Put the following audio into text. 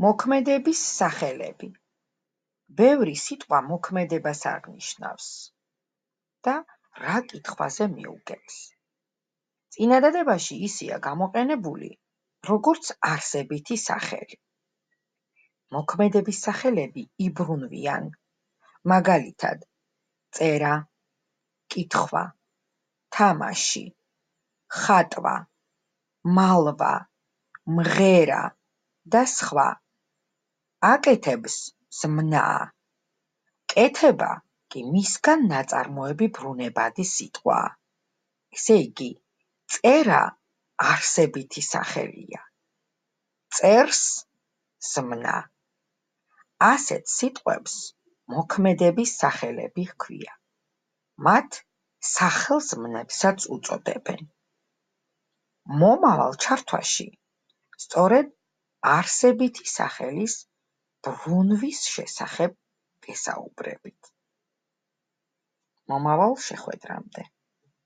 მოქმედების სახელები. ბევრი სიტყვა მოქმედებას აღნიშნავს და რა კითხვაზე მიუგებს. წინადადებაში ისია გამოყენებული როგორც არსებითი სახელი. მოქმედების სახელები იბრუნვიან, მაგალითად, წერა, კითხვა, თამაში, ხატვა, მალვა, მღერა და სხვა. აკეთებს ზმნა, კეთება კი მისგან ნაწარმოები ბრუნებადი სიტყვაა. ესე იგი, წერა არსებითი სახელია. წერს ზმნა. ასეთ სიტყვებს მოქმედების სახელები ჰქვია. მათ სახელზმნებსაც უწოდებენ. მომავალ ჩართვაში სწორედ არსებითი სახელის ბრუნვის შესახებ ვესაუბრებით. მომავალ შეხვედრამდე.